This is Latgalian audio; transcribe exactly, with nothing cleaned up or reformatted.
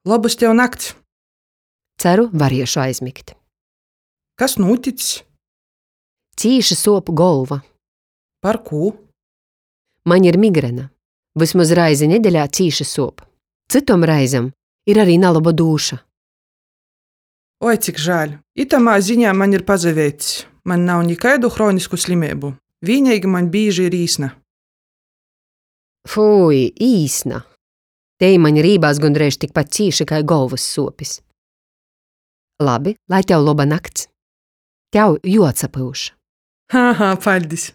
Lobys tev nakts! Ceru, variešu aizmigt. Kas nūtics? Cīši suop golva. Par kū? Maņ ir migrena. Vysmoz raizi nedeļā cīši suop. Cytom raizem ir ari naloba dūša. Oi, cik žāļ! Itamā ziņā maņ ir pasaveics. Maņ nav nikaidu hronisku slimeibu. Vīneigi maņ bīži ir īsna. Fui, īsna! Tei maņ rībās gondreiž tikpat cīši kai golvys suopis. Labi, lai tev loba nakts. Tev juoatsapyuš. Ha, ha, paļdis!